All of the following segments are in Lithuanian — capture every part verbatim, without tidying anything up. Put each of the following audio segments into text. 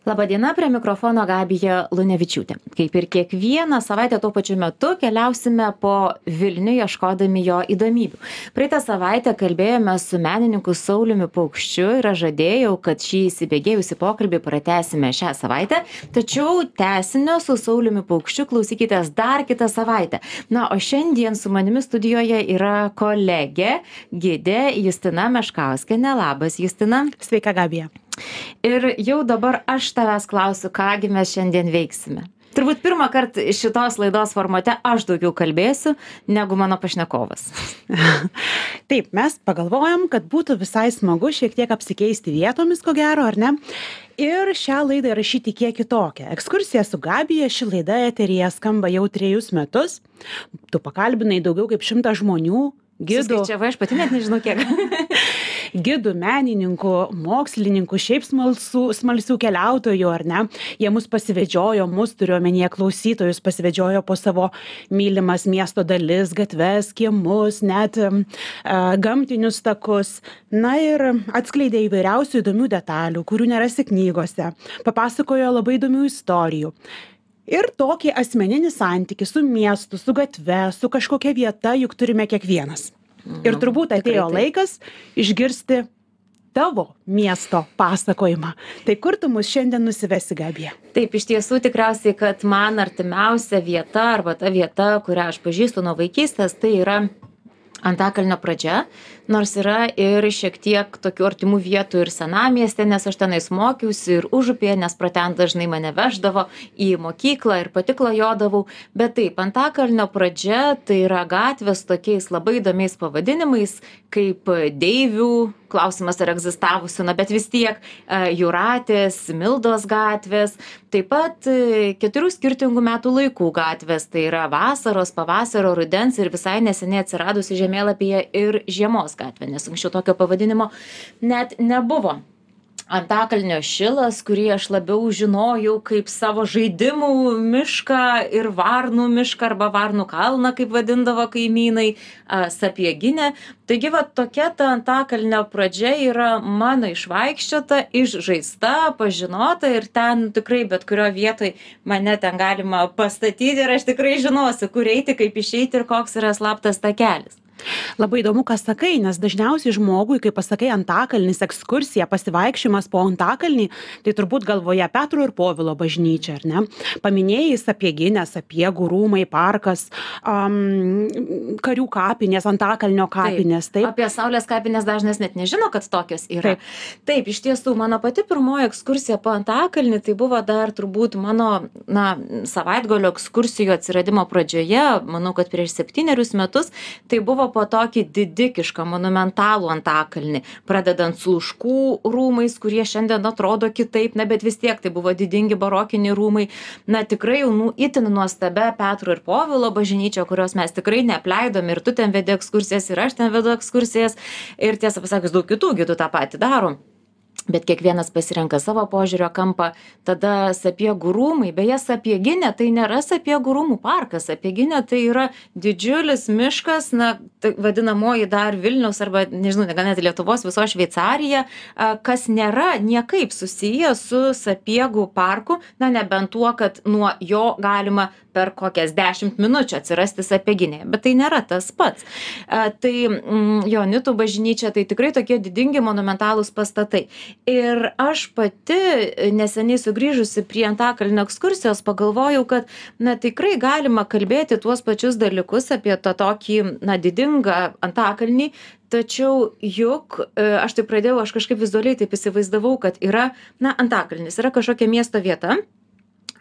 Labadiena, prie mikrofono Gabija Lunevičiūtė. Kaip ir kiekvieną savaitę tuo pačiu metu keliausime po Vilnių ieškodami jo įdomybių. Praeitą savaitę kalbėjome su menininku Sauliumi Paukščiu ir aš žadėjau, kad šį įsibėgėjusi pokalbį pratęsime šią savaitę, tačiau tęsinio su Sauliumi Paukščiu klausykitės dar kitą savaitę. Na, o šiandien su manimi studijoje yra kolegė, gidė Justina Meškauskienė. Labas, Justina. Sveika, Gabija. Ir jau dabar aš tavęs klausiu, kągi mes šiandien veiksime. Turbūt pirmą kartą šitos laidos formate aš daugiau kalbėsiu negu mano pašnekovas. Taip, mes pagalvojom, kad būtų visai smagu šiek tiek apsikeisti vietomis, ko gero, ar ne? Ir šią laidą įrašyti kiek kitokią. Ekskursija su Gabija, ši laida eteryje skamba jau trejus metus. Tu pakalbinai daugiau kaip šimtą žmonių, gidų. Suskaičiavai, aš pati net nežinau kiek. Gidų, menininkų, mokslininkų, šiaip smalsų, smalsių keliautojų, ar ne? Jie mus pasivedžiojo, mus turiu omenyje klausytojus, pasivedžiojo po savo mylimas miesto dalis, gatves, kiemus, net uh, gamtinius takus. Na ir atskleidė įvairiausių įdomių detalių, kurių nerasi knygose. Papasakojo labai įdomių istorijų. Ir tokį asmeninį santykį su miestu, su gatve, su kažkokia vieta juk turime kiekvienas. Ir turbūt atėjo laikas išgirsti tavo miesto pasakojimą. Tai kur tu mus šiandien nusivesi, Gabija? Taip, iš tiesų tikriausiai, kad man artimiausia vieta arba ta vieta, kurią aš pažįstu nuo vaikystės, tai yra Antakalnio pradžia, nors yra ir šiek tiek tokių artimų vietų ir senamieste, nes aš tenais mokiausi ir užupėje, nes pro ten dažnai mane veždavo į mokyklą ir pati klajodavau. Bet taip, Antakalnio pradžia tai yra gatvės tokiais labai įdomiais pavadinimais, kaip Deivių, klausimas ar egzistavusi, na bet vis tiek Jūratės, Mildos gatvės, taip pat keturių skirtingų metų laikų gatvės, tai yra vasaros, pavasario, rudens ir visai neseniai atsiradusi žemėlapyje ir žiemos gatvė, nes anksčiau tokio pavadinimo net nebuvo. Antakalnio šilas, kurį aš labiau žinojau kaip savo žaidimų mišką ir varnų mišką arba varnų kalną, kaip vadindavo kaimynai, Sapieginė. Taigi va tokia ta Antakalnio pradžia yra mano išvaikščiota, išžaista, pažinota ir ten tikrai bet kurio vietoj mane ten galima pastatyti ir aš tikrai žinosiu, kur eiti, kaip išeiti ir koks yra slaptas takelis. Labai įdomu, ką sakai, nes dažniausiai žmogui, kai pasakai Antakalnis, ekskursija, pasivaikščiojimas po Antakalnį, tai turbūt galvoje Petro ir Povilo bažnyčia, ar ne? Paminėjai Sapieginę, Sapiegų rūmai, parkas, um, karių kapinės, Antakalnio kapinės. Taip. Taip. Apie Saulės kapinės dažnas net nežino, kad tokios yra. Taip. Taip, iš tiesų, mano pati pirmoji ekskursija po Antakalnį, tai buvo dar turbūt mano na, savaitgalio ekskursijų atsiradimo pradžioje, manau, kad prieš septynerius metus, tai buvo po tokį didikišką, monumentalų Antakalnį, pradedant Sluškų rūmais, kurie šiandien atrodo kitaip, na, bet vis tiek tai buvo didingi barokiniai rūmai, na, tikrai jau nu, itin nuostabia Petro ir Povilo bažnyčia, kurios mes tikrai neapleidom ir tu ten vedi ekskursijas ir aš ten vedu ekskursijas ir tiesą pasakius daug kitų gidų tą patį darom. Bet kiekvienas pasirenka savo požiūrio kampą, tada Sapiegų rūmai, beje, Sapieginė tai nėra Sapiegų rūmų parkas, Sapieginė tai yra didžiulis miškas, na, tai vadinamoji dar Vilniaus arba, nežinau, gal net Lietuvos viso Šveicarija, kas nėra niekaip susiję su Sapiegų parku, na, nebent tuo, kad nuo jo galima per kokias dešimt minučių atsirasti Sapieginėje, bet tai nėra tas pats. Tai mm, Joanitų bažnyčia, tai tikrai tokie didingi monumentalūs pastatai. Ir aš pati neseniai sugrįžusi prie Antakalnio ekskursijos pagalvojau, kad na, tikrai galima kalbėti tuos pačius dalykus apie tą tokį na, didingą Antakalnį, tačiau juk aš tai pradėjau, aš kažkaip vizualiai taip įsivaizdavau, kad yra na, Antakalnis, yra kažkokia miesto vieta,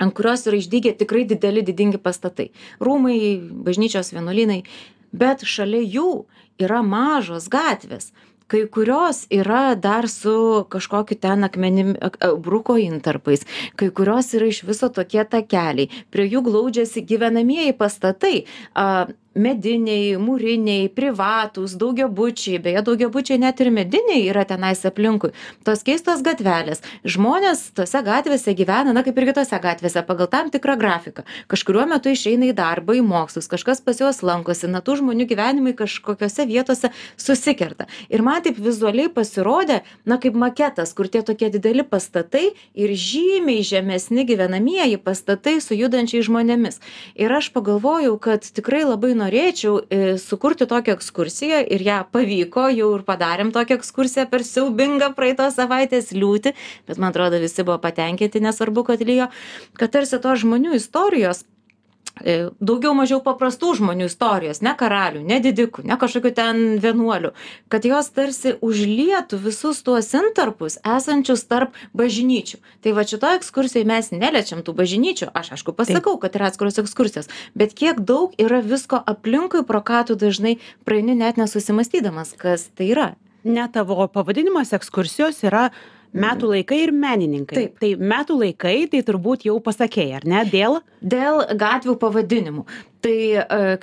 ant kurios yra išdygę tikrai dideli, didingi pastatai. Rūmai, bažnyčios, vienuolynai, bet šalia jų yra mažos gatvės. Kai kurios yra dar su kažkokiu ten akmenim, bruko intarpais, kai kurios yra iš viso tokie takeliai, prie jų glaudžiasi gyvenamieji pastatai. mediniai, mūriniai, privatūs, daugiabučiai, beje, daugiabučiai net ir mediniai yra tenais aplinkui. Tos keistos gatvelės. Žmonės tose gatvėse gyvena, na kaip ir kitose gatvėse, pagal tam tikrą grafiką. Kažkuriuo metu išeina į darbą, į mokslus, kažkas pas juos lankosi, na tų žmonių gyvenimai kažkokiose vietose susikerta. Ir man taip vizualiai pasirodė, na kaip maketas, kur tie tokie dideli pastatai ir žymiai žemesni gyvenamieji pastatai su judančiais žmonėmis. Ir aš pagalvojau, kad tikrai labai norėčiau e, sukurti tokią ekskursiją ir ją pavyko, jau ir padarėm tokią ekskursiją per siaubingą praeitos savaitės liūtį, bet man atrodo visi buvo patenkinti, nesvarbu, kad lyjo, kad tarsi tos žmonių istorijos, e, daugiau mažiau paprastų žmonių istorijos, ne karalių, ne didikų, ne kažkokių ten vienuolių, kad jos tarsi užlietų visus tuos intarpus esančius tarp bažnyčių. Tai va šitoje ekskursijoje mes neliečiam tų bažnyčių, aš aišku pasakau, kad yra atskiros ekskursijos, bet kiek daug yra visko aplinkui, pro ką tu dažnai praeini net nesusimastydamas, kas tai yra. Ne tavo pavadinimas ekskursijos yra metų laikai ir menininkai. Taip. Tai metų laikai, tai turbūt jau pasakėjai, ar ne? Dėl? Dėl gatvių pavadinimų. Tai,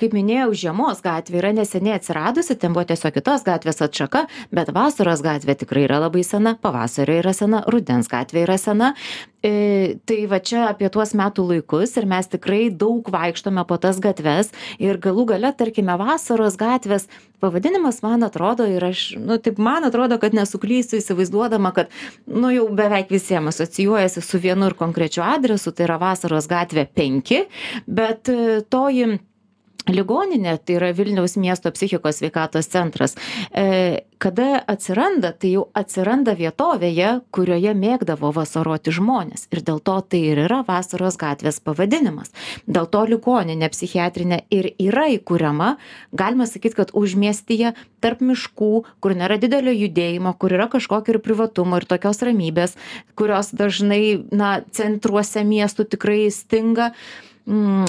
kaip minėjau, Žiemos gatvė yra neseniai atsiradusi, ten buvo tiesiog kitos gatvės atšaka, bet Vasaros gatvė tikrai yra labai sena, Pavasario yra sena, Rudens gatvė yra sena. E, tai va čia apie tuos metų laikus ir mes tikrai daug vaikštome po tas gatves ir galų gale, tarkime, Vasaros gatvės pavadinimas, man atrodo, ir aš, nu, taip man atrodo, kad nesuklysiu įsivaizduodama, kad, nu, jau beveik visiems asocijuojasi su vienu ir konkrečiu adresu, tai yra Vasaros gatvė penki, bet toji ligoninė, tai yra Vilniaus miesto psichikos sveikatos centras, e, kada atsiranda, tai jau atsiranda vietovėje, kurioje mėgdavo vasaroti žmonės. Ir dėl to tai ir yra Vasaros gatvės pavadinimas. Dėl to ligoninė psichiatrinė ir yra įkuriama, galima sakyti, kad užmiestyje tarp miškų, kur nėra didelio judėjimo, kur yra kažkokio ir privatumo ir tokios ramybės, kurios dažnai, na, centruose miestų tikrai stinga.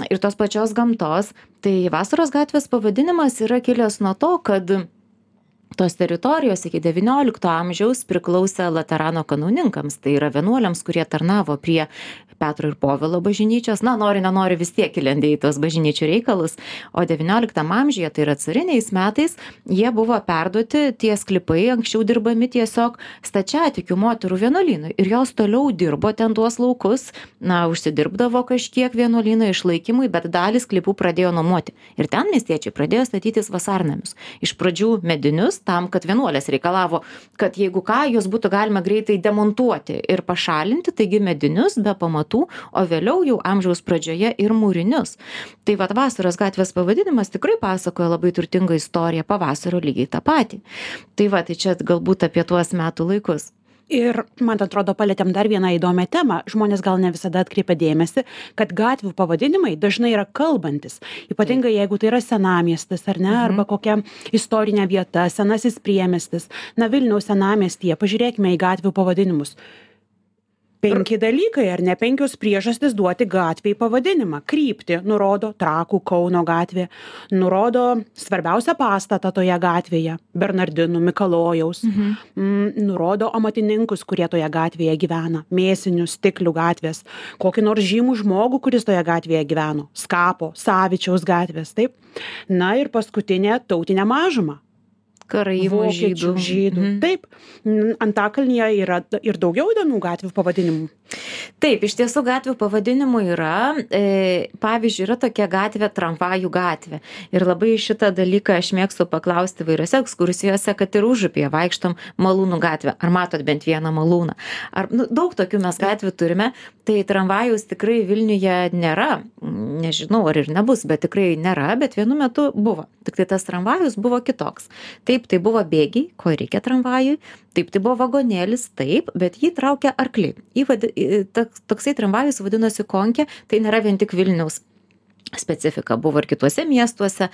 Ir tos pačios gamtos, tai Vasaros gatvės pavadinimas yra kilęs nuo to, kad tos teritorijos iki devyniolikto amžiaus priklausė Laterano kanauninkams, tai yra vienuoliams, kurie tarnavo prie Petro ir Povilo bažnyčios, na, nori, nenori vis tiek įlendė į tos bažnyčių reikalus, o devynioliktam amžiuje, tai yra cariniais metais, jie buvo perduoti tie sklypai, anksčiau dirbami tiesiog stačiatikių moterų vienuolynui ir jos toliau dirbo ten tuos laukus, na, užsidirbdavo kažkiek vienuolyno išlaikymui, bet dalį sklypų pradėjo nuomoti. Ir ten miestiečiai pradėjo statytis vasarnamius. Iš pradžių medinius, tam, kad vienuolės reikalavo, kad jeigu ką, juos būtų galima greitai demontuoti ir pašalinti, taigi medinius be pamatų, o vėliau jau amžiaus pradžioje ir mūrinius. Tai vat Vasaros gatvės pavadinimas tikrai pasakoja labai turtingą istoriją, Pavasario lygiai tą patį. Tai va, tai čia galbūt apie tuos metų laikus. Ir, man atrodo, palėtėm dar vieną įdomią temą. Žmonės gal ne visada atkreipia dėmesį, kad gatvių pavadinimai dažnai yra kalbantis. Ypatingai, jeigu tai yra senamiestis, ar ne, arba kokia istorinė vieta, senasis priemiestis. Na, Vilniaus senamiestyje, pažiūrėkime į gatvių pavadinimus. Penki dalykai, ar ne, penkios priežastys duoti gatviai pavadinimą. Kryptį nurodo Trakų Kauno gatvė, nurodo svarbiausią pastatą toje gatvėje, Bernardinų, Mikalojaus, mhm. m, nurodo amatininkus, kurie toje gatvėje gyvena, Mėsinių, Stiklių gatvės, kokį nors žymų žmogų, kuris toje gatvėje gyveno, Skapo, Savičiaus gatvės, taip. Na ir paskutinė tautinė mažuma. Karaimų, žydų. žydų. Mhm. Taip, Antakalnyje yra ir daugiau įdomių gatvių pavadinimų. Taip, iš tiesų gatvių pavadinimų yra, e, pavyzdžiui, yra tokia gatvė Tramvajų gatvė. Ir labai šitą dalyką aš mėgstu paklausti vairiose ekskursijose, kad ir Užupyje vaikštom Malūnų gatvę. Ar matot bent vieną Malūną? Ar, nu, daug tokių mes gatvių turime, tai tramvajus tikrai Vilniuje nėra. Nežinau, ar ir nebus, bet tikrai nėra, bet vienu metu buvo. Tik tai tas tramvajus buvo kitoks. Taip, tai buvo bėgiai, ko reikia tramvajui. Taip, tai buvo vagonėlis, taip, bet jį traukia arkliai. Jį vadi, toksai tramvajus vadinosi Konkė, tai nėra vien tik Vilniaus specifika, buvo ir kituose miestuose,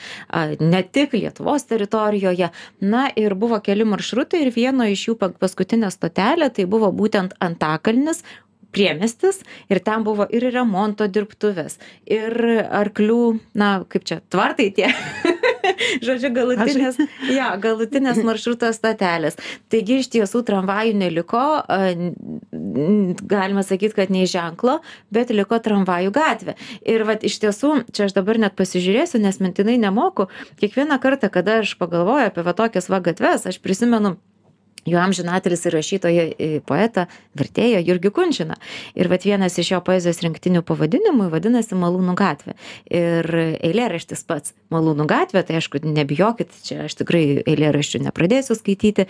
ne tik Lietuvos teritorijoje. Na ir buvo keli maršrutai ir vieno iš jų paskutinė stotelė, tai buvo būtent Antakalnis, priemiestis, ir ten buvo ir remonto dirbtuvės, ir arklių, na, kaip čia, tvartai tie, žodžiu, galutinės, ja, galutinės maršruto stotelės. Taigi iš tiesų tramvajų neliko, galima sakyti, kad nei ženklo, bet liko tramvajų gatvė. Ir vat iš tiesų, čia aš dabar net pasižiūrėsiu, nes mintinai nemoku, kiekvieną kartą, kada aš pagalvoju apie va tokias va gatves, aš prisimenu jo amžinatelis ir rašytoją, poetą, vertėją Jurgį Kunčiną. Ir vat vienas iš jo poezijos rinktinių pavadinimų vadinasi Malūnų gatvė. Ir eilėraštis pats Malūnų gatvė, tai aišku, nebijokit, čia aš tikrai eilėraščių nepradėsiu skaityti.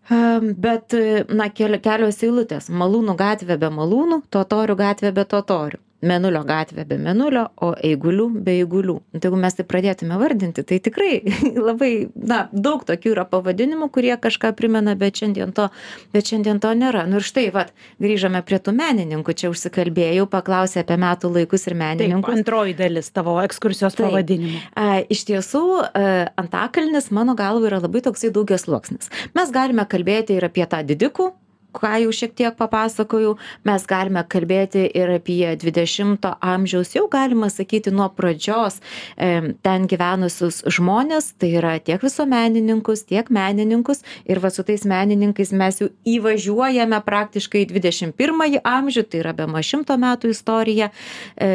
Bet, na, kelios eilutės. Malūnų gatvė be malūnų, totorių gatvė be totorių. Mėnulio gatvė be mėnulio, o eigulių be eigulių. Tai jeigu mes tai pradėtume vardinti, tai tikrai labai, na, daug tokių yra pavadinimų, kurie kažką primena, bet šiandien to, bet šiandien to nėra. Nu ir štai, vat, grįžame prie tų menininkų, čia užsikalbėjau, paklausė apie metų laikus ir menininkus. Taip, antroji dalis tavo ekskursijos Taip. pavadinimo. A, iš tiesų, a, Antakalnis, mano galva, yra labai toksai daugiasluoksnis. Mes galime kalbėti ir apie tą didikų, ką jau šiek tiek papasakojau, mes galime kalbėti ir apie dvidešimto amžiaus, jau galima sakyti nuo pradžios e, ten gyvenusius žmonės, tai yra tiek visuomenininkus, tiek menininkus, ir va su tais menininkais mes jau įvažiuojame praktiškai į dvidešimt pirmąjį amžių, tai yra bemaž šimto metų istorija. E,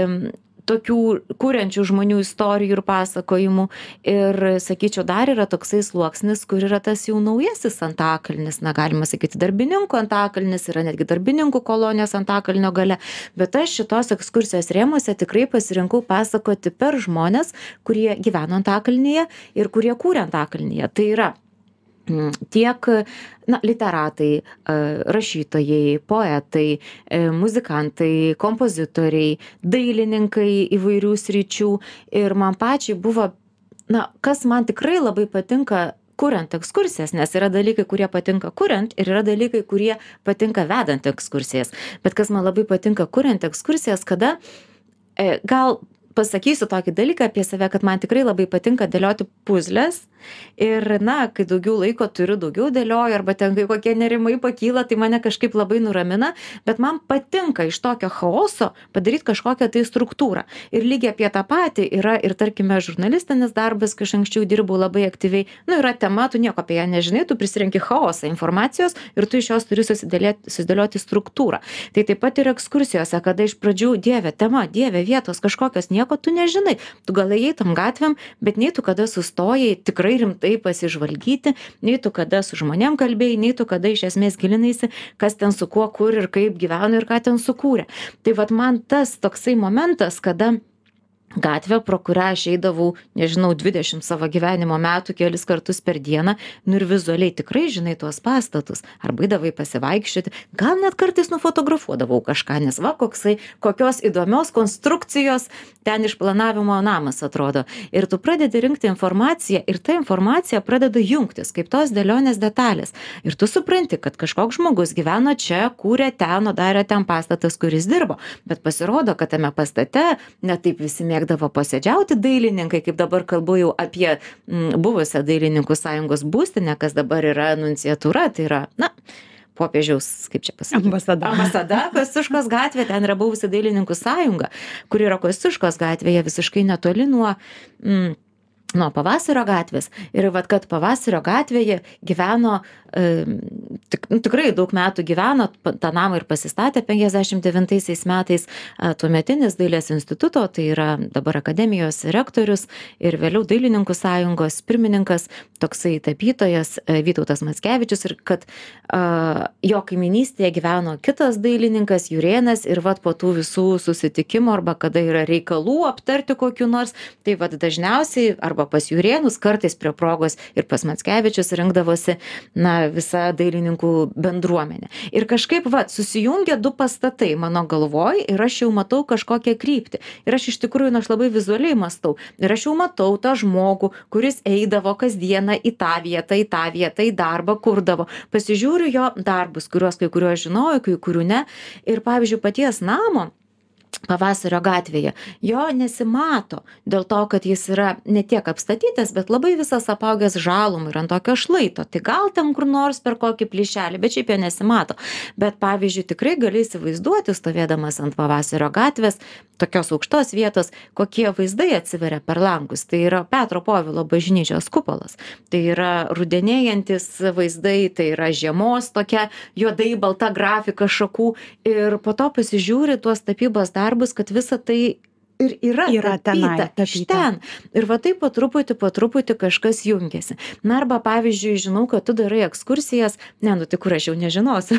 tokių kuriančių žmonių istorijų ir pasakojimų. Ir, sakyčiau, dar yra toksai sluoksnis, kur yra tas jau naujasis Antakalnis, na, galima sakyti, darbininkų Antakalnis, yra netgi darbininkų kolonijos Antakalnio gale. Bet aš šitos ekskursijos rėmuose tikrai pasirinkau pasakoti per žmonės, kurie gyveno Antakalnyje ir kurie kūrė Antakalnyje. Tai yra tiek, na, literatai, rašytojai, poetai, muzikantai, kompozitoriai, dailininkai įvairių sričių. Ir man pačiai buvo, na, kas man tikrai labai patinka kuriant ekskursijas, nes yra dalykai, kurie patinka kuriant, ir yra dalykai, kurie patinka vedant ekskursijas. Bet kas man labai patinka kuriant ekskursijas, kada e, gal pasakysiu tokį dalyką apie save, kad man tikrai labai patinka dėlioti puzles. Ir, na, kai daugiau laiko turiu, daugiau dėlioju, arba ten kai kokie nerimai pakyla, tai mane kažkaip labai nuramina, bet man patinka iš tokio chaoso padaryti kažkokią tai struktūrą. Ir lygiai apie tą patį yra ir, tarkime, žurnalistinis darbas, kai aš anksčiau dirbau labai aktyviai. Nu, yra tema, tu nieko apie ją nežinai, tu prisirenki chaosą informacijos ir tu iš jos turi susidėlioti struktūrą. Tai taip pat ir ekskursijose, kada iš pradžių dieve tema, dieve vietos kažkokios, nieko tu nežinai. Tu gal ėjai tam gatvėm, bet nei tu kada sustojai tikrai rimtai pasižvalgyti, nei tu kada su žmonėm kalbėjai, nei tu kada iš esmės gilinaisi, kas ten su kuo, kur ir kaip gyveno ir ką ten sukūrė. Tai vat man tas toksai momentas, kada gatvė, pro kurią aš eidavau, nežinau, dvidešimt savo gyvenimo metų kelis kartus per dieną, nu ir vizualiai tikrai žinai tuos pastatus, arba eidavai pasivaikščioti, gal net kartais nufotografuodavau kažką, nes va, koksai, kokios įdomios konstrukcijos ten išplanavimo namas atrodo. Ir tu pradedi rinkti informaciją ir ta informacija pradeda jungtis, kaip tos dėlionės detalės. Ir tu supranti, kad kažkoks žmogus gyveno čia, kūrė ten, o darė ten pastatas, kuris dirbo. Bet pasirodo, kad tame pastate netaip visi mėgdavo posėdžiauti dailininkai, kaip dabar kalbu jau apie m, buvusią dailininkų sąjungos būstinę, kas dabar yra nunciatūra, tai yra, na, popiežiaus, kaip čia pasakyti? Ambasada. Ambasada, Kosciuškos gatvė, ten yra buvusi dailininkų sąjunga, kuri yra Kosciuškos gatvėje visiškai netoli nuo... Mm, nuo Pavasario gatvės. Ir vat, kad Pavasario gatvėje gyveno, e, tik, nu, tikrai daug metų gyveno, tą namą ir pasistatė penkiasdešimt devintaisiais metais e, tuometinis dailės instituto, tai yra dabar akademijos rektorius ir vėliau dailininkų sąjungos pirmininkas, toksai tapytojas e, Vytautas Mackevičius, ir kad e, jo kaiminystėje gyveno kitas dailininkas Jurėnas, ir vat po tų visų susitikimų arba kada yra reikalų aptarti kokiu nors, tai vat dažniausiai arba pas Jurėnus, kartais prie progos ir pas Mackevičius rinkdavosi, na, visa dailininkų bendruomenė. Ir kažkaip, va, susijungia du pastatai mano galvoj ir aš jau matau kažkokią kryptį. Ir aš iš tikrųjų, na, aš labai vizualiai mastau. Ir aš jau matau tą žmogų, kuris eidavo kasdieną į tą vietą, į tą vietą, į darbą, kurdavo. Pasižiūriu jo darbus, kuriuos kai kuriuos žinojau, kai kurių ne. Ir, pavyzdžiui, paties namo Pavasario gatvėje. Jo nesimato dėl to, kad jis yra ne tiek apstatytas, bet labai visas apaugęs žalum ir ant tokio šlaito. Tai gal ten kur nors per kokį plyšelį, bet šiaip jo nesimato. Bet pavyzdžiui, tikrai gali įsivaizduoti, stovėdamas ant Pavasario gatvės, tokios aukštos vietos, kokie vaizdai atsiveria per langus. Tai yra Petro Povilo bažnyčios kupolas. Tai yra rudenėjantis vaizdai, tai yra žiemos tokia juodai balta grafika šakų. Ir po to pasižiūri tuos tapybos darbus, kad visa tai ir yra, Yra tenai tapyta iš tapyta. ten. Ir va taip po truputį, po truputį kažkas jungiasi. Na arba pavyzdžiui, žinau, kad tu darai ekskursijas, ne, nu tik kur aš jau nežinosiu,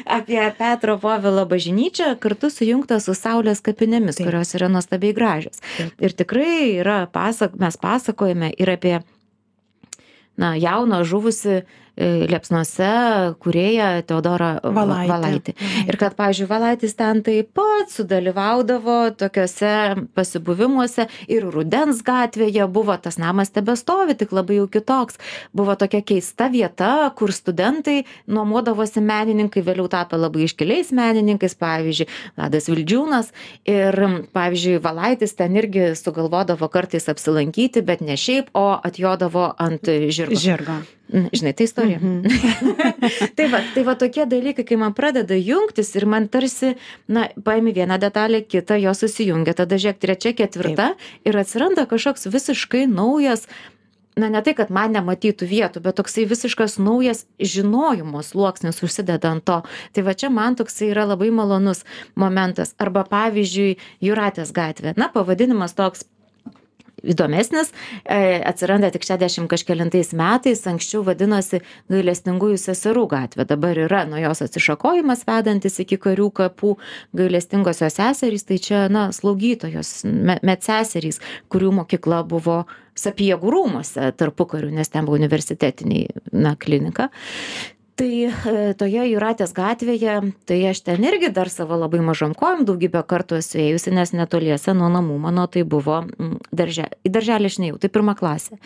apie Petro Povilo bažnyčią, kartu sujungta su Saulės kapinėmis, Taip. kurios yra nuostabiai gražios. Taip. Ir tikrai yra, pasak, mes pasakojame ir apie na, jauną žuvusi e, Liepsnose kūrėją Teodorą Valaitį. Valaitį. Ir kad, pavyzdžiui, Valaitis ten taip pat sudalyvaudavo tokiuose pasibuvimuose ir Rudens gatvėje buvo, tas namas tebestovi, tik labai jau kitoks. Buvo tokia keista vieta, kur studentai nuomodavosi menininkai, vėliau tapę labai iškiliais menininkais, pavyzdžiui, Vladas Vildžiūnas. Ir, pavyzdžiui, Valaitis ten irgi sugalvodavo kartais apsilankyti, bet ne šiaip, o atjodavo ant žirgo. Žirgo. Žinai, tai istorija. Mhm. tai, va, tai va tokie dalykai, kai man pradeda jungtis ir man tarsi, na, paimi vieną detalę, kitą, jos susijungia, tada žiūrėk, trečia, ketvirta ir atsiranda kažkoks visiškai naujas, na, ne tai, kad man nematytų vietų, bet toksai visiškas naujas žinojimo sluoksnis užsideda ant to. Tai va čia man toksai yra labai malonus momentas. Arba pavyzdžiui, Jūratės gatvė. Na, pavadinimas toks įdomesnis, e, atsiranda tik šešiasdešimt kažkelintais metais, anksčiau vadinosi Gailestingųjų seserų gatvė, dabar yra nuo jos atsišakojimas vedantis iki Karių kapų. Gailestingosios seserys, tai čia, na, slaugytojos, me, medseserys, kurių mokykla buvo Sapiegų rūmuose tarpukariu, nes ten buvo universitetiniai, na, klinika. Tai e, toje Jūratės gatvėje, tai aš ten irgi dar savo labai mažom kojom daugybę kartų esu ėjusi, nes netoliese nuo namų mano tai buvo mm, darželė. Į darželį aš neėjau, tai pirma klasė.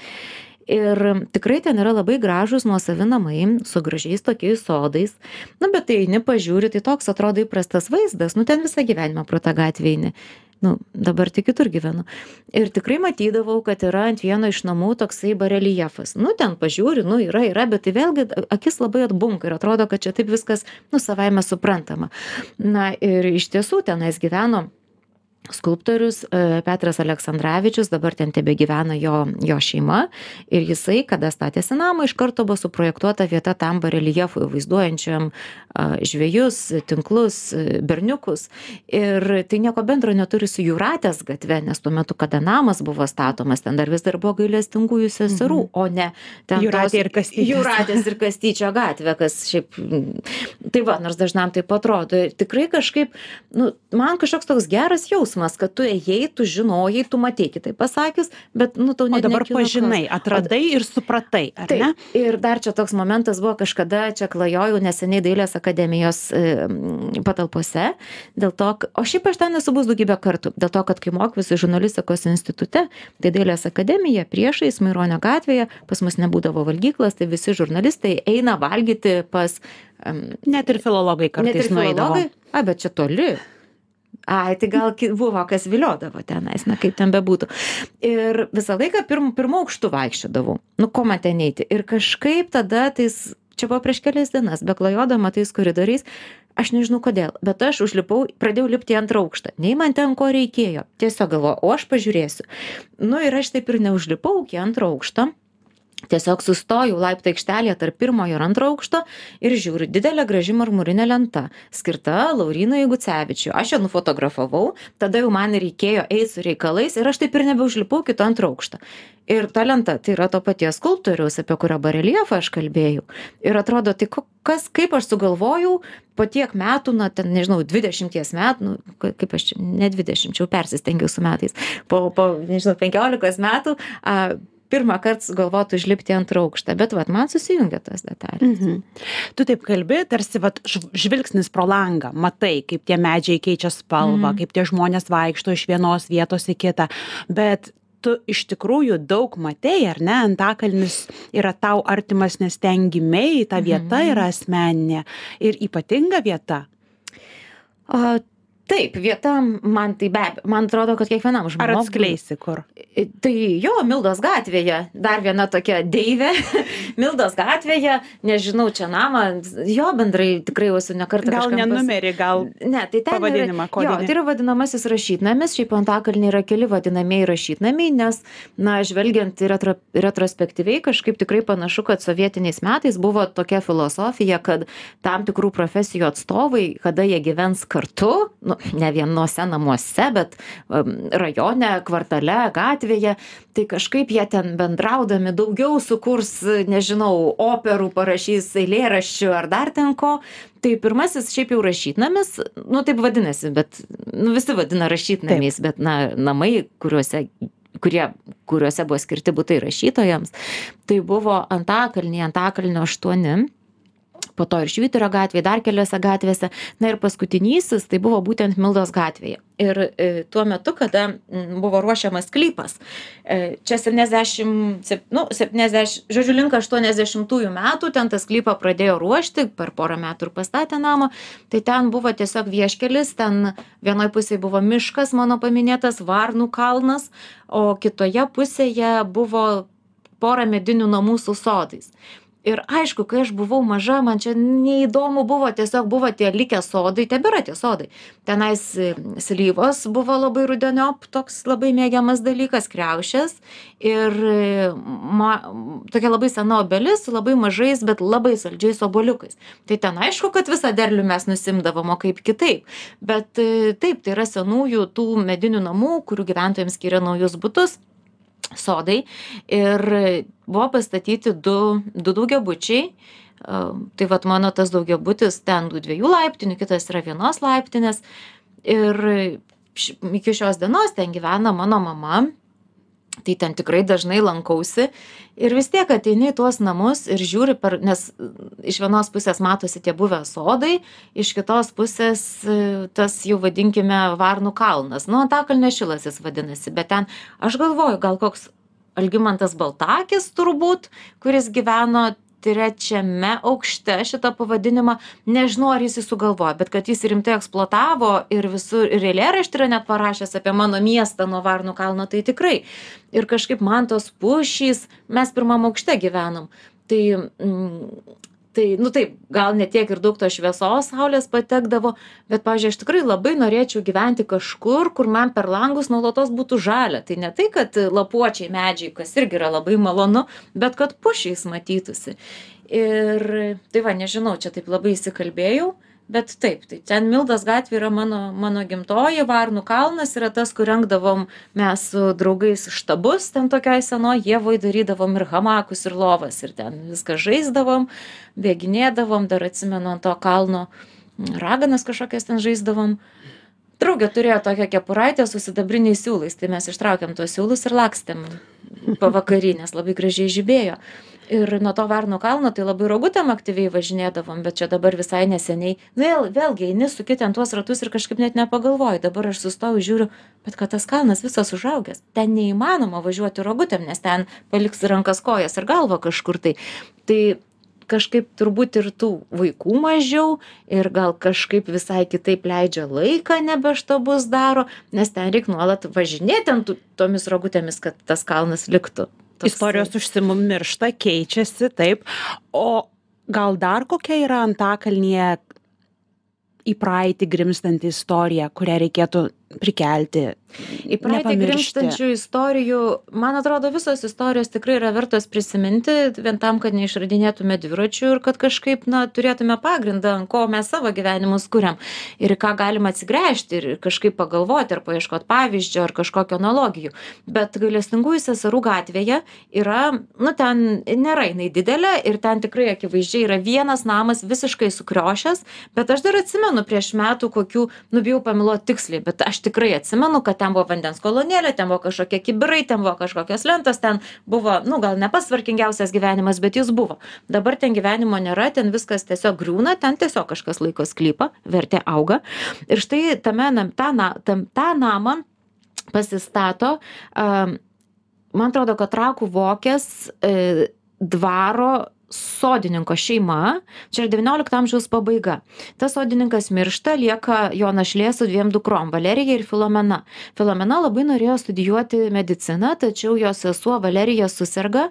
Ir tikrai ten yra labai gražus nuosavi namai su gražiais tokiais sodais. Nu, bet tai eini pažiūri, tai toks atrodo įprastas vaizdas, nu ten visą gyvenimą pro tą gatvę eini. Nu, dabar tik kitur gyvenu. Ir tikrai matydavau, kad yra ant vieno iš namų toksai bareliefas. Nu, ten pažiūri, nu, yra, yra, bet tai vėlgi akis labai atbunka ir atrodo, kad čia taip viskas, nu, savaime suprantama. Na, ir iš tiesų tenais gyveno skulptorius e, Petras Aleksandravičius, dabar ten tebe gyvena jo, jo šeima ir jisai, kada statėsi namą, iš karto buvo suprojektuota vieta tam bareliefui, vaizduojančiam a, žvejus, tinklus, e, berniukus. Ir tai nieko bendro neturi su Jūratės gatve, nes tuo metu, kada namas buvo statomas, ten dar vis dar buvo Gailestingųjų seserų, mhm. o ne ten Jūratė ir Kastytis. Jūratės ir Kastyčio gatvė, kas šiaip, tai va, nors dažnam taip atrodo. Tikrai kažkaip, nu, man kažkoks toks geras jausmas, kad tu ėjai, tu žinojai, tu matei, kitaip pasakius, bet, nu, tau net O dabar nekilo pažinai, klausimas. atradai ir supratai, ar Taip, ne? ir dar čia toks momentas buvo kažkada, čia klajojau neseniai Dailės akademijos e, patalpose, dėl to, k- o šiaip aš ten esu bus daugybę kartų, dėl to, kad kai mokiausi žurnalistikos institute, tai Dailės akademija priešais Maironio gatvėje, pas mus nebūdavo valgyklas, tai visi žurnalistai eina valgyti pas... Um, Net ir filologai net ir kartais nueidavo. filologai, a, bet čia toli. Ai, tai gal ki- buvo, kas viliodavo tenais, na kaip ten bebūtų. Ir visą laiką pirm, pirmo aukštų vaikščiodavau. Nu, ko man ten eiti? Ir kažkaip tada, tais, čia buvo prieš kelias dienas, beklajodama tais koridoriais, aš nežinau kodėl, bet aš užlipau, pradėjau lipti į antrą aukštą. Nei man ten ko reikėjo. Tiesiog galvoju, o aš pažiūrėsiu. Nu ir aš taip ir neužlipau iki antro aukšto. Tiesiog sustojau laiptų aikštelėje tarp pirmojo ir antro aukšto ir žiūriu, didelė graži marmurinė lenta, skirta Laurynui Gucevičiui. Aš ją nufotografavau, tada jau man reikėjo eiti su reikalais ir aš taip ir nebeužlipau kito antro aukšto. Ir ta lenta, tai yra to paties skulptoriaus, apie kurio bareliefą aš kalbėjau. Ir atrodo, tai ko- kas, kaip aš sugalvojau, po tiek metų, na, ten, nežinau, dvidešimties metų, nu, ka- kaip aš čia, ne dvidešimt, čia jau persistengiau su metais, po, po nežinau, penkiolikos metų, a, pirmą kartą sugalvotų užlipti antrą aukštą, bet vat, man susijungia tos detalės. Mhm. Tu taip kalbi, tarsi vat, žv- žvilgsnis pro langą, matai, kaip tie medžiai keičia spalvą, Mhm. kaip tie žmonės vaikšto iš vienos vietos į kitą, bet tu iš tikrųjų daug matei, ar ne, Antakalnis yra tau artimas, nes ten gimei, ta vieta Mhm. yra asmeninė ir ypatinga vieta. O, Taip, vieta man tai be abejo, man atrodo, kad kiekvienam Ar žmogui. atskleisi kur? Tai jo, Mildos gatvėje, dar viena tokia deivė, Mildos gatvėje, nežinau, čia namą, jo bendrai tikrai jau esu ne kartą Gal kažkam ne pas- numerį, gal Ne, tai ten pavadinimą yra, jo, kodinį. tai yra vadinamasis rašytnamis, šiaip Antakalny yra keli vadinamieji rašytnamiai, nes, na, žvelgiant retro, retrospektyviai, kažkaip tikrai panašu, kad sovietiniais metais buvo tokia filosofija, kad tam tikrų profesijų atstovai, kada jie gyvens kartu, nu, ne vienose namuose, bet um, rajone, kvartale, gatvėje, tai kažkaip jie ten bendraudami daugiau sukurs, nežinau, operų parašys, eilėraščių ar dar ten ko. Tai pirmasis šiaip jau rašytnamis, nu taip vadinasi, bet nu, visi vadina rašytnamiais, bet na, namai, kuriuose kurie, kuriuose buvo skirti butai rašytojams, tai buvo Antakalny, Antakalnio aštuoni, po to ir Švyturio gatvėje, dar keliose gatvėse, na ir paskutinysis, tai buvo būtent Mildos gatvėje. Ir e, tuo metu, kada m, buvo ruošiamas sklypas, e, čia septyniasdešimt, nu, septyniasdešimt, žodžiu, link aštuoniasdešimtųjų metų, ten tą sklypą pradėjo ruošti, per porą metų ir pastatė namą, tai ten buvo tiesiog vieškelis, ten vienoje pusėje buvo miškas, mano paminėtas, Varnų kalnas, o kitoje pusėje buvo pora medinių namų su sodais. Ir aišku, kai aš buvau maža, man čia neįdomu buvo, tiesiog buvo tie likę sodai, tebėra tie sodai. Tenais slyvos buvo labai rudeniop, toks labai mėgiamas dalykas, kriaušės. Ir ma, tokia labai sena obelis su labai mažais, bet labai saldžiais obuoliukais. Tai ten aišku, kad visą derlių mes nusimdavom, o kaip kitaip. Bet taip, tai yra senųjų tų medinių namų, kurių gyventojams skiria naujus butus. Sodai ir buvo pastatyti du, du daugiabučiai. Tai vat mano tas daugiabutis ten du dviejų laiptinių, kitas yra vienos laiptinės. Ir iki šios dienos ten gyvena mano mama. Tai ten tikrai dažnai lankausi. Ir vis tiek ateini į tuos namus ir žiūri, per, nes iš vienos pusės matosi tie buvę sodai, iš kitos pusės tas jau vadinkime Varnų kalnas. Nu, Antakalnio šilas jis vadinasi, bet ten aš galvoju, gal koks Algimantas Baltakis turbūt, kuris gyveno trečiame aukšte šitą pavadinimą, nežinau, ar jis jį sugalvojo, bet kad jis rimtai eksploatavo ir visur, ir eilėraštį yra net parašęs apie mano miestą nuo Varnų kalno, tai tikrai. Ir kažkaip man tos pušys, mes pirmam aukšte gyvenom, tai, mm, tai, nu taip, gal ne tiek ir daug to šviesos saulės patekdavo, bet, pavyzdžiui, aš tikrai labai norėčiau gyventi kažkur, kur man per langus nuolatos būtų žalia. Tai ne tai, kad lapuočiai medžiai, kas irgi yra labai malonu, bet kad pušys matytųsi. Ir tai va, nežinau, čia taip labai įsikalbėjau, bet taip, tai ten Mildos gatvė yra mano, mano gimtoji, Varnų kalnas yra tas, kur rengdavom mes su draugais štabus, ten tokioj senoje Ievoj darydavom ir hamakus, ir lovas, ir ten viską žaisdavom, bėginėdavom, dar atsimenu ant to kalno raganas kažkokias ten žaisdavom. Draugė turėjo tokią kepuraitę su sidabriniais siūlais, tai mes ištraukėm tuos siūlus ir lakstėm pavakary, nes labai gražiai žibėjo. Ir nuo to Varnų kalno tai labai rogutėm aktyviai važinėdavom, bet čia dabar visai neseniai, vėl, vėlgi, eini su kitent tuos ratus ir kažkaip net nepagalvoju, dabar aš sustoju, žiūriu, bet kad tas kalnas visas užaugęs, ten neįmanoma važiuoti rogutėm, nes ten paliks rankas kojas ir galvą kažkur tai. Tai kažkaip turbūt ir tų vaikų mažiau ir gal kažkaip visai kitaip leidžia laiką, nebe štabus daro, nes ten reikia nuolat važinėti ant tomis rogutėmis, kad tas kalnas liktų. Toks... Istorijos užsimiršta, keičiasi, taip. O gal dar kokia yra Antakalnyje į praeitį grimztanti istorija, kurią reikėtų prikelti, į praeitį grimztančių istorijų, man atrodo, visos istorijos tikrai yra vertos prisiminti, vien tam, kad neišradinėtume dviračių ir kad kažkaip, na, turėtume pagrindą, ant ko mes savo gyvenimus kuriam ir ką galima atsigręžti ir kažkaip pagalvoti ar paieškoti pavyzdžio ar kažkokio analogijų. Bet Gailestingųjų seserų gatvėje yra, nu, ten nėra jinai didelė ir ten tikrai akivaizdžiai yra vienas namas visiškai sukriošęs, bet aš dar atsimenu prieš metų kokių, nu, bijau pameluoti tiksliai, bet aš tikrai atsimenu, kad ten buvo vandens kolonėlė, ten buvo kažkokie kibirai, ten buvo kažkokios lentos, ten buvo, nu, gal ne pats tvarkingiausias gyvenimas, bet jis buvo. Dabar ten gyvenimo nėra, ten viskas tiesiog griūna, ten tiesiog kažkas laiko sklypą, vertė auga. Ir štai tame, tą, tą, tą namą pasistato, man atrodo, kad Trakų Vokės dvaro sodininko šeima, čia yra devyniolikto amžiaus pabaiga. Tas sodininkas miršta, lieka jo našlė su dviem dukrom, Valerija ir Filomena. Filomena labai norėjo studijuoti mediciną, tačiau jos sesuo Valerija suserga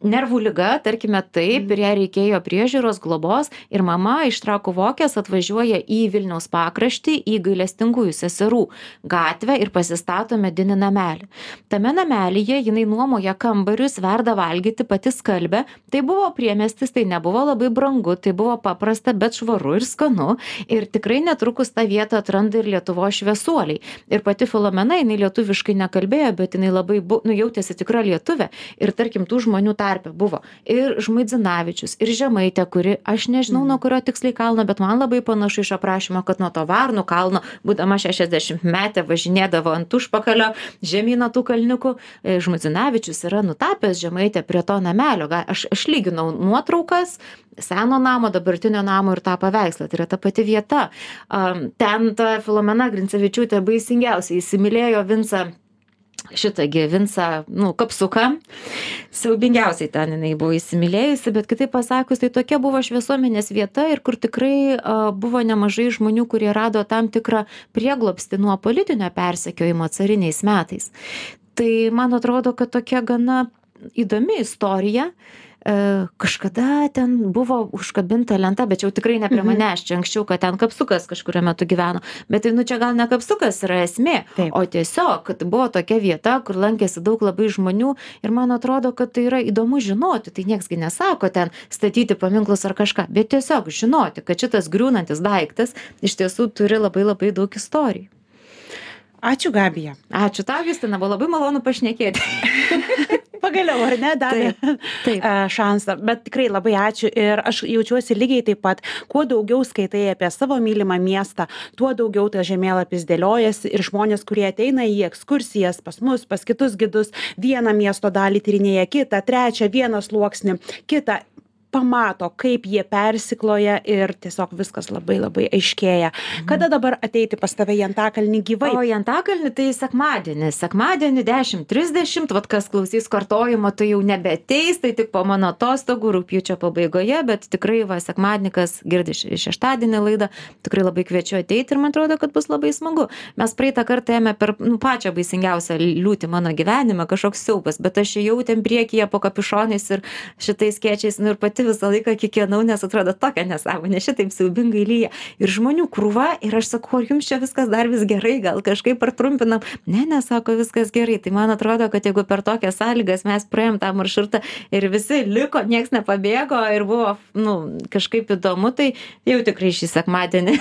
nervų liga, tarkime taip, ir jai reikėjo priežiūros, globos, ir mama iš Trakų Vokės atvažiuoja į Vilniaus pakraštį, į Gailestingųjų seserų gatvę ir pasistato medinį namelį. Tame namelyje jinai nuomoja kambarius, verda valgyti, pati skalbia. Tai buvo priemiestis, tai nebuvo labai brangu, tai buvo paprasta, bet švaru ir skanu. Ir tikrai netrukus tą vietą atranda ir Lietuvos šviesuoliai. Ir pati Filomena, jinai lietuviškai nekalbėjo, bet jinai labai bu, nu, jautėsi tikra lietuvė. Ir tarkim, tų žmonių tarpe buvo ir Žmuidzinavičius, ir Žemaitė, kuri, aš nežinau, nuo kurio tiksliai kalno, bet man labai panašu iš aprašymo, kad nuo to Varnų kalno, būdama šešiasdešimt metė, važinėdavo ant užpakalio žemyno tų kalniukų. Žmuidzinavičius yra nutapęs Žemaitę prie to namelio. Aš, aš lyginau nuotraukas seno namo, dabartinio namo ir tą paveikslą. Tai yra ta pati vieta. Ten ta Filomena Grincevičiūtė baisingiausiai įsimylėjo Vincą šitągi Vincą, nu, Kapsuką. Siaubingiausiai ten jinai buvo įsimylėjusi, bet kitaip pasakius, tai tokia buvo šviesuomenės vieta ir kur tikrai uh, buvo nemažai žmonių, kurie rado tam tikrą prieglobstį nuo politinio persekiojimo cariniais metais. Tai man atrodo, kad tokia gana įdomi istorija. Kažkada ten buvo užkabinta lenta, bet jau tikrai ne prie manęs, čia anksčiau, kad ten Kapsukas kažkurio metu gyveno. Bet tai, nu, čia gal ne Kapsukas yra esmė, Taip. o tiesiog, kad buvo tokia vieta, kur lankėsi daug labai žmonių ir man atrodo, kad tai yra įdomu žinoti. Tai nieksgi nesako ten statyti paminklus ar kažką, bet tiesiog žinoti, kad šitas griūnantis daiktas iš tiesų turi labai labai daug istorijų. Ačiū, Gabija. Ačiū tau, Justina, buvo labai malonu pašnekėti. Pagaliau, ar ne, davė Taip, taip. šansą, bet tikrai labai ačiū ir aš jaučiuosi lygiai taip pat, kuo daugiau skaitai apie savo mylimą miestą, tuo daugiau tas žemėlapis dėliojasi ir žmonės, kurie ateina į ekskursijas pas mus, pas kitus gidus, vieną miesto dalį tyrinėja, kitą, trečią, vieną sluoksnį, kitą, pamato, kaip jie persikloja ir tiesiog viskas labai labai aiškėja. Kada dabar ateiti pas tave į Antakalnį gyvai? O į Antakalnį tai sekmadienį. Sekmadienį dešimt trisdešimt, vat kas klausys kartojimo, tai jau nebeateis, tai tik po mano atostogų rugpjūčio pabaigoje, bet tikrai va sekmadienį, kas girdi šeštadienį laidą, tikrai labai kviečiu ateiti ir man atrodo, kad bus labai smagu. Mes praeitą kartą ėmė per nu, pačią baisingiausią liūtį mano gyvenime, kažkoks siaubas, bet aš jau ten priekyje po kapišonais ir šitais skėčiais, nu ir pati visą laiką kiekvienau, nes atrodo tokia nesąmonė, šitaip siaubingai lyja. Ir žmonių krūva, ir aš sakau, ar jums čia viskas dar vis gerai, gal kažkaip partrumpinam. Ne, nesako, viskas gerai. Tai man atrodo, kad jeigu per tokias sąlygas mes praėjom tą maršrutą ir visi liko, nieks nepabėgo ir buvo, nu, kažkaip įdomu, tai jau tikrai šį sekmadienį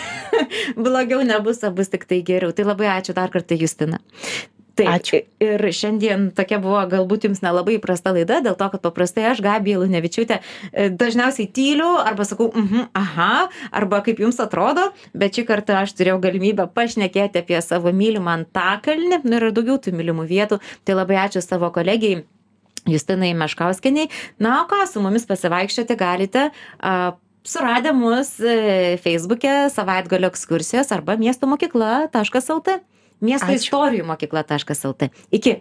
blogiau nebus, o bus tik tai geriau. Tai labai ačiū dar kartą, Justina. Taip, Ačiū. Ir šiandien tokia buvo galbūt jums nelabai įprasta laida, dėl to, kad paprastai aš, Gabija Lunevičiūtė, dažniausiai tyliu arba sakau, mhm, aha, arba kaip jums atrodo, bet šį kartą aš turėjau galimybę pašnekėti apie savo mylimą Antakalnį, nu ir daugiau tų mylimų vietų, tai labai ačiū savo kolegijai Justinai Meškauskienei. Na, o ką, su mumis pasivaikščioti galite a, suradę mus Facebook'e savaitgalio ekskursijos arba miesto mokykla taškas lt. Miesto istorijų mokykla taškas lt. Iki.